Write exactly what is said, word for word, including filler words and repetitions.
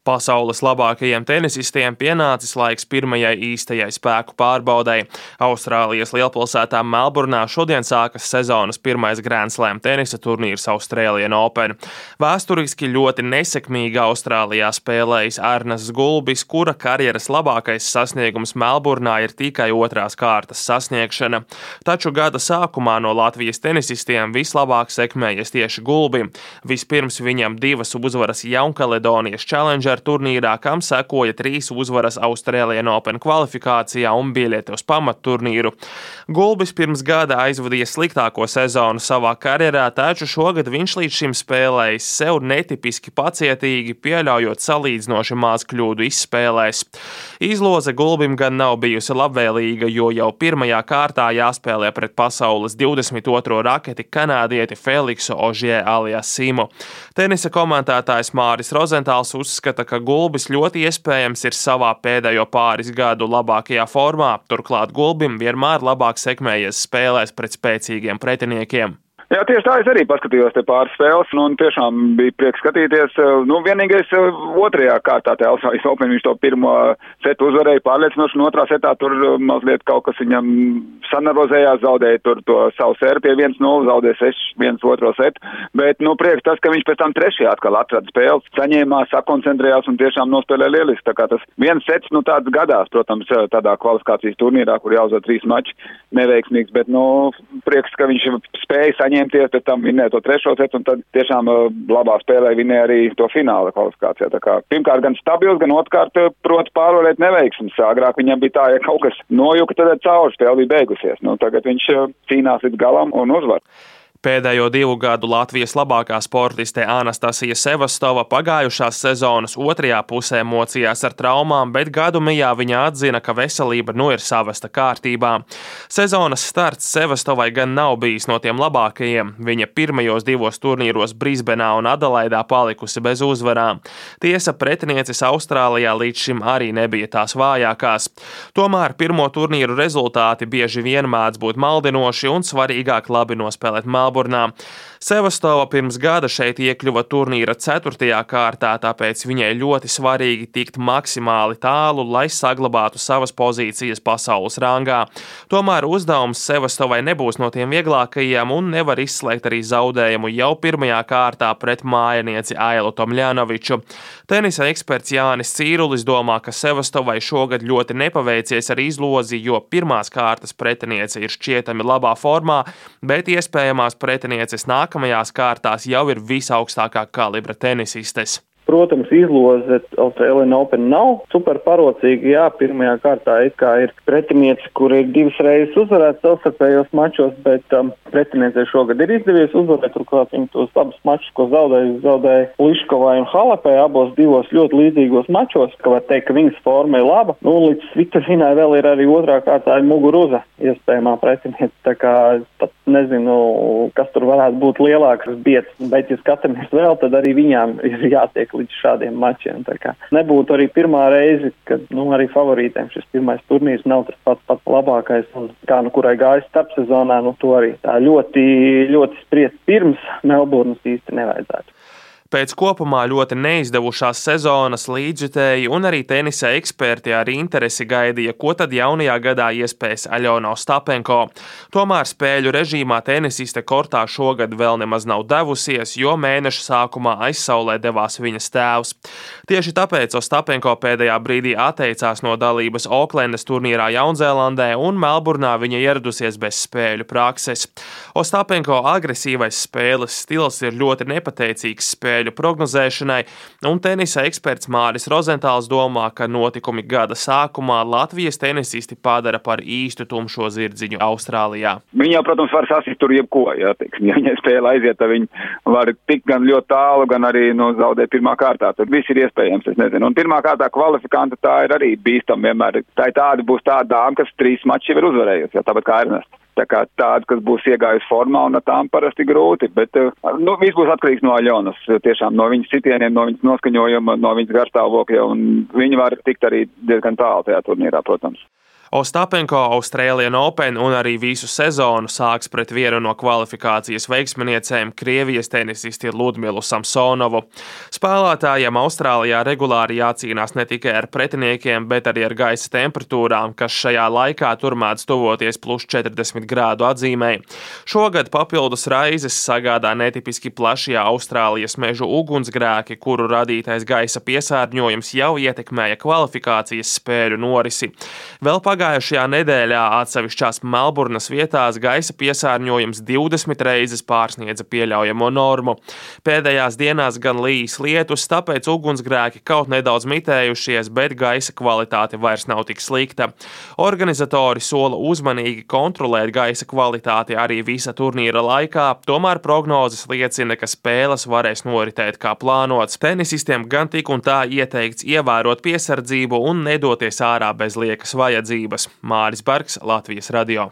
Pasaules labākajiem tenisistiem pienācis laiks pirmajai īstajai spēku pārbaudei. Austrālijas lielpilsētā Melburnā šodien sākas sezonas pirmais Grand Slam tenisa turnīrs Australian Open. Vēsturiski ļoti nesekmīgi Austrālijā spēlējis Arnests Gulbis, kura karjeras labākais sasniegums Melburnā ir tikai otrās kārtas sasniegšana. Taču gada sākumā no Latvijas tenisistiem vislabāk sekmējies tieši Gulbim. Vispirms viņam divas uzvaras Jaunkaledonijas Challenger turnīrā, kam sekoja trīs uzvaras Australian Open kvalifikācijā un biļete uz pamatturnīru. Gulbis pirms gada aizvadīja sliktāko sezonu savā karjerā, taču šogad viņš līdz šim spēlējis sev netipiski pacietīgi, pieļaujot salīdzinoši maz kļūdu izspēlēs. Izloze Gulbim gan nav bijusi labvēlīga, jo jau pirmajā kārtā jāspēlē pret pasaules divdesmit otro raketi kanādieti Feliksu Ožie-Aliasimu. Tenisa komentētājs Māris Rozentāls uzskata, ka Gulbis ļoti iespējams ir savā pēdējo pāris gadu labākajā formā, turklāt Gulbim vienmēr labāk sekmējies spēlēs pret spēcīgiem pretiniekiem. Jā, tieši tā, es arī paskatījos te pāris spēles, nu, un tiešām bija prieks skatīties. Nu, vienīgais otrajā kārtā te Austrālijas Open viņš to pirmo setu uzvarēja pārliecinoši, un otrā setā tur mazliet kaut kas viņam sanervozējās, zaudēja tur to savu sēru pie viens nulle, zaudēja seši viens otro setu, bet, nu, prieks tas, ka viņš pēc tam trešajā atkal atrada spēles, saņēmās, sakoncentrējās un tiešām nospēlēja lieliski. Tā kā tas viens sets, nu, tāds gadās, protams, tādā kvalifikācijas turnīrā, kur jāuzvar trīs mači, neveiksmīgs, bet, nu, prieks, ka viņš spēja saņemt pēc tam vinnēja to trešo setu, un tad tiešām labā spēlē vinnēja arī to fināla kvalifikācijā. Tā kā pirmkārt gan stabils, gan otrkārt proti pārvarēt neveiksmes. Agrāk viņam bija tā, ja kaut kas nojuka, tad cauri spēle bija beigusies. Nu, tagad viņš cīnās līdz galam un uzvar. Pēdējo divu gadu Latvijas labākā sportiste Anastasija Sevastova pagājušās sezonas otrajā pusē mocījās ar traumām, bet gadu mijā viņa atzina, ka veselība nu ir savesta kārtībā. Sezonas starts Sevastovai gan nav bijis no tiem labākajiem. Viņa pirmajos divos turnīros Brisbenā un Adelaidā palikusi bez uzvarām. Tiesa, pretinieces Austrālijā līdz šim arī nebija tās vājākās. Tomēr pirmo turnīru rezultāti bieži vien mēdz būt maldinoši un svarīgāk labi nospēlēt Melburnā. Sevastova pirms gada šeit iekļuva turnīra ceturtajā kārtā, tāpēc viņai ļoti svarīgi tikt maksimāli tālu, lai saglabātu savas pozīcijas pasaules rangā. Tomēr uzdevums Sevastovai nebūs no tiem vieglākajiem un nevar izslēgt arī zaudējumu jau pirmajā kārtā pret mājinieci Ailu Tomļanoviču. Tenisa eksperts Jānis Cīrulis domā, ka Sevastovai šogad ļoti nepaveicies ar izlozi, jo pirmās kārtas pretiniece ir šķietami labā formā, bet iespējamās pretinieces nākamajās kārtās jau ir visaugstākā kalibra tenisistes. Protams, izloze Australian Open nav super parocīga. Jā, pirmajā kārtā it kā ir pretiniece, kur ir divas reizes uzvarēts savstarpējos mačos, bet um, pretiniecei šogad ir izdevies uzvarēt, turklāt viņi tos abus mačus, ko zaudēja, zaudēja Liškovai un Halepē, abos divos ļoti līdzīgos mačos, ka var teikt, ka viņas forma ir laba. Nu, līdz Svitožinai vēl ir arī otrā kārtā Muguruza iespējamā pretiniece, tā kā pat nezinu, kas tur varētu būt lielāks biets, bet ja skatāmies vēl, tad arī viņām ir jātiek līdz šādiem mačiem. Tā kā nebūtu arī pirmā reize, kad nu, arī favorītēm šis pirmais turnīrs nav tas pats pats labākais, un kā nu kurai gājas starpsezonā, nu to arī tā ļoti, ļoti spriest pirms Melburnas īsti nevajadzētu. Pēc kopumā ļoti neizdevušās sezonas līdzjutēji un arī tenisa eksperti ar interesi gaidīja, ko tad jaunajā gadā iespējas Aļona Ostapenko. Tomēr spēļu režīmā tenisiste kortā šogad vēl nemaz nav devusies, jo mēneša sākumā aizsaulē devās viņas tēvs. Tieši tāpēc Ostapenko pēdējā brīdī atteicās no dalības Oklendas turnīrā Jaunzēlandē un Melburnā viņa ieradusies bez spēļu prakses. Ostapenko agresīvais spēles stils ir ļoti nepateicīgs spēļu prognozēšanai, un tenisa eksperts Māris Rozentāls domā, ka notikumi gada sākumā Latvijas tenisisti padara par īstu tumšo zirdziņu Austrālijā. Viņi jau, protams, var sasist tur jebko, jā, teiksim, ja viņai spēle aiziet, tad viņi var tikt gan ļoti tālu, gan arī no zaudēt pirmā kārtā. Tad viss ir iespējams, es nezinu. Un pirmā kārtā kvalifikanta tā ir arī bīstam vienmēr. Tā ir tāda, būs tāda dāma, kas trīs mači jau ir uzvarējusi, jā, tāpat kā Ernests. Tā kā tāda, kas būs iegājusi formā, un ar tām parasti grūti, bet nu, viss būs atkarīgs no Aļonas, tiešām no viņas sitieniem, no viņas noskaņojuma, no viņas garstāvokļa, un viņi var tikt arī diezgan tālu tajā turnīrā, protams. Ostapenko Australian Open un arī visu sezonu sāks pret vienu no kvalifikācijas veiksminiecēm Krievijas tenisisti Ludmilu Samsonovu. Spēlētājiem Austrālijā regulāri jācīnās ne tikai ar pretiniekiem, bet arī ar gaisa temperatūrām, kas šajā laikā tur mēdz tuvoties plus četrdesmit grādu atzīmei. Šogad papildus raizes sagādā netipiski plašie Austrālijas mežu ugunsgrēki, kuru radītais gaisa piesārņojums jau ietekmēja kvalifikācijas spēļu norisi. Vēl pagājušajā nedēļā atsevišķās Melburnas vietās gaisa piesārņojums divdesmit reizes pārsniedza pieļaujamo normu. Pēdējās dienās gan līs lietus, tāpēc ugunsgrēki kaut nedaudz mitējušies, bet gaisa kvalitāte vairs nav tik slikta. Organizatori sola uzmanīgi kontrolēt gaisa kvalitāti arī visa turnīra laikā, tomēr prognozes liecina, ka spēles varēs noritēt kā plānots. Tenisistiem gan tik un tā ieteikts ievērot piesardzību un nedoties ārā bez liekas vajadzības. Māris Bergs, Latvijas radio.